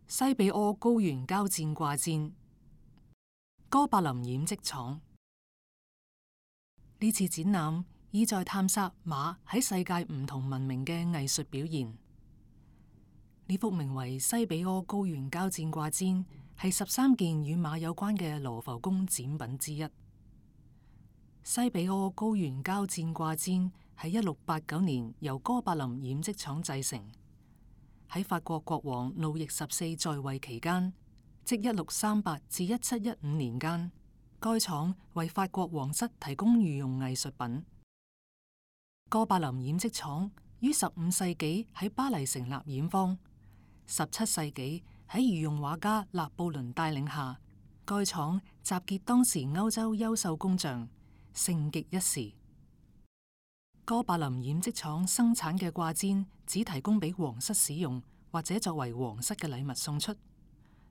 西比阿高原交戰掛氈，哥白林染織廠。呢次展覽意在探索馬喺世界唔同文明嘅藝術表現。呢幅名為《西比阿高原交戰掛氈》係13件與馬有關嘅羅浮宮展品之一。西比阿高原交戰掛氈喺1689年由哥白林染織廠製成。喺法國國王路易14在位期間，即1638至1715年間，該廠為法國皇室提供御用藝術品。哥白林染織廠於15世紀喺巴黎成立染坊，17世紀喺御用畫家拿布崙帶領下，該廠集結當時歐洲優秀工匠，盛極一時。哥白林染織廠生產嘅掛氈只提供俾皇室使用，或者作為皇室嘅禮物送出，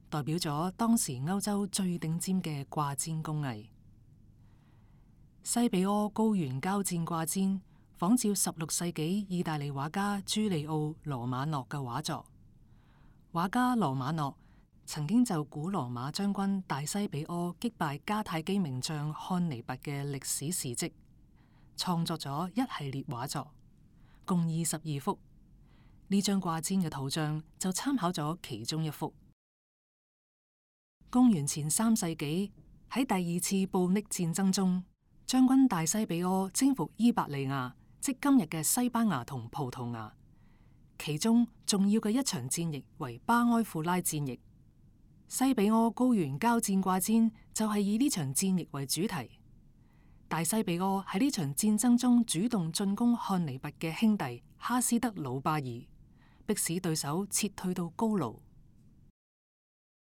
代表咗當時歐洲最頂尖嘅掛氈工藝。西比阿高原交戰掛氈仿照16世紀意大利畫家朱利奧羅馬諾嘅畫作。畫家羅馬諾曾經就古羅馬將軍大西比阿擊敗迦太基名將漢尼拔嘅歷史事蹟，創作咗一系列畫作，共22幅。呢張掛氈嘅圖像就參考咗其中一幅。公元前3世紀喺第二次布匿戰爭中，將軍大西比阿征服伊伯利亞，即今日嘅西班牙同葡萄牙。其中重要嘅一場戰役為巴埃庫拉戰役。西比阿高原交戰掛氈就係以呢場戰役為主題。大西比阿喺呢場戰爭中主動進攻漢尼拔嘅兄弟哈斯德魯巴爾，迫使對手撤退到高盧。